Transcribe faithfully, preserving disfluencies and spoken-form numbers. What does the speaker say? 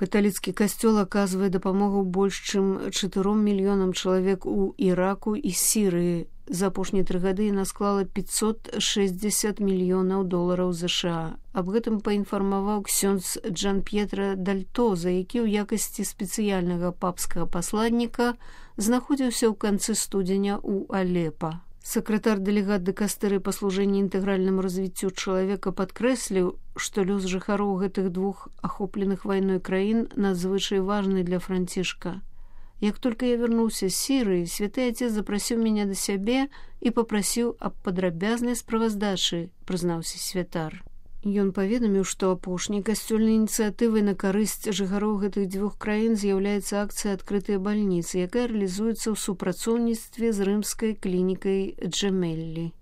Каталіцкі касцёл аказвае дапамогу больш чым чатыром мільёнам чалавек у Іраку і Сірыі. За апошнія тры гады яна склала пятьсот шестьдесят мільёнаў долараў ЗША. Аб гэтым паінфармаваў ксёндз Джан-П'етра Дальтоза, які ў якасці спецыяльнага папскага пасладніка знаходзіўся ў канцы студзеня ў Алепа. Сакратар дэлегат дыкастэры па служэнні інтэгральнаму развіццю чалавека падкрэсліў, што лёс жыхароў гэтых двух ахопленых вайной краін надзвычай важны для Францішка. Як толькі я вярнуўся з Сірыі, святы Отец запрасіў мяне да сябе і папрасіў аб падрабязнай справаздачы, прызнаўся святар. Ён паведаміў, што апошняй касцёльнай ініцыятывай на карысць жыхароў гэтых дзвюх краін з'яўляецца акцыя «Адкрытыя бальніцы», якая рэалізуецца ў супрацоўніцтве з рымскай клінікай Джемеллі.